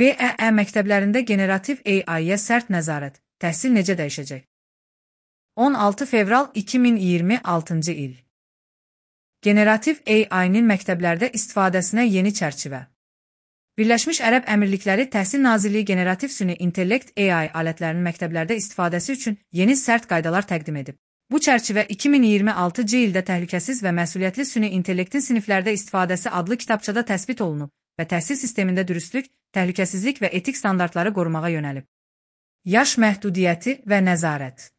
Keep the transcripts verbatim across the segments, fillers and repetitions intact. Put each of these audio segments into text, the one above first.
B E E məktəblərində generativ A I-yə sərt nəzarət, təhsil necə dəyişəcək? on altı fevral iki min iyirmi altıncı il. Generativ A I-nin məktəblərdə istifadəsinə yeni çərçivə. Birləşmiş Ərəb Əmirlikləri Təhsil Nazirliyi generativ süni intellekt A I alətlərinin məktəblərdə istifadəsi üçün yeni sərt qaydalar təqdim edib. Bu çərçivə iki min iyirmi altıncı ildə Təhlükəsiz və Məsuliyyətli Süni İntellektin siniflərdə istifadəsi adlı kitabçada təsbit olunub və təhsil sistemində dürüstlük, təhlükəsizlik və etik standartları qorumağa yönəlib. Yaş məhdudiyyəti və nəzarət.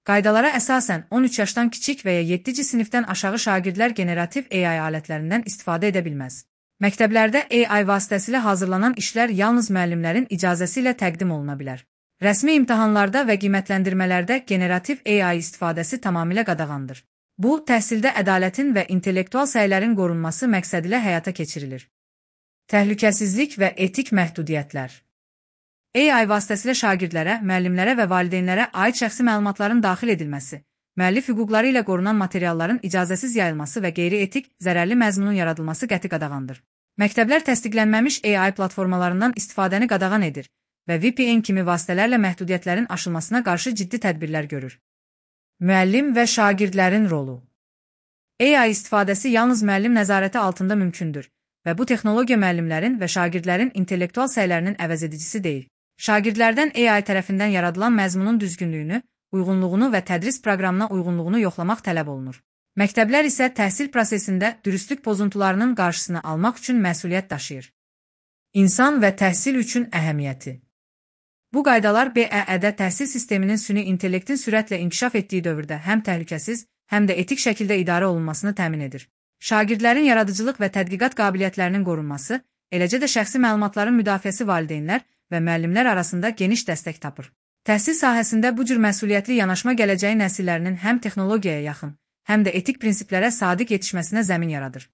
Qaydalara əsasən on üç yaşdan kiçik və ya yeddinci sinifdən aşağı şagirdlər generativ A I alətlərindən istifadə edə bilməz. Məktəblərdə A I vasitəsilə hazırlanan işlər yalnız müəllimlərin icazəsi ilə təqdim oluna bilər. Rəsmi imtahanlarda və qiymətləndirmələrdə generativ A I istifadəsi tamamilə qadağandır. Bu, təhsildə ədalətin və intellektual səylərin qorunması məqsədilə həyata keçirilir. Təhlükəsizlik və etik məhdudiyyətlər. A I vasitəsilə şagirdlərə, müəllimlərə və valideynlərə aid şəxsi məlumatların daxil edilməsi, müəllif hüquqları ilə qorunan materialların icazəsiz yayılması və qeyri-etik, zərərli məzmunun yaradılması qəti qadağandır. Məktəblər təsdiqlənməmiş A I platformalarından istifadəni qadağan edir və V P N kimi vasitələrlə məhdudiyyətlərin aşılmasına qarşı ciddi tədbirlər görür. Müəllim və şagirdlərin rolu. A I istifadəsi yalnız müəllim nəzarəti altında mümkündür və bu texnologiya müəllimlərin və şagirdlərin intellektual səylərinin əvəzedicisi deyil. Şagirdlərdən A I tərəfindən yaradılan məzmunun düzgünlüyünü, uyğunluğunu və tədris proqramına uyğunluğunu yoxlamaq tələb olunur. Məktəblər isə təhsil prosesində dürüstlük pozuntularının qarşısını almaq üçün məsuliyyət daşıyır. İnsan və təhsil üçün əhəmiyyəti. Bu qaydalar B E E-də təhsil sisteminin süni intellektin sürətlə inkişaf etdiyi dövrdə həm təhlükəsiz, həm də etik şəkildə idarə olunmasını təmin edir. Şagirdlərin yaradıcılıq və tədqiqat qabiliyyətlərinin qorunması, eləcə də şəxsi məlumatların müdafiəsi valideynlər və müəllimlər arasında geniş dəstək tapır. Təhsil sahəsində bu cür məsuliyyətli yanaşma gələcəyi nəsillərinin həm texnologiyaya yaxın, həm də etik prinsiplərə sadiq yetişməsinə zəmin yaradır.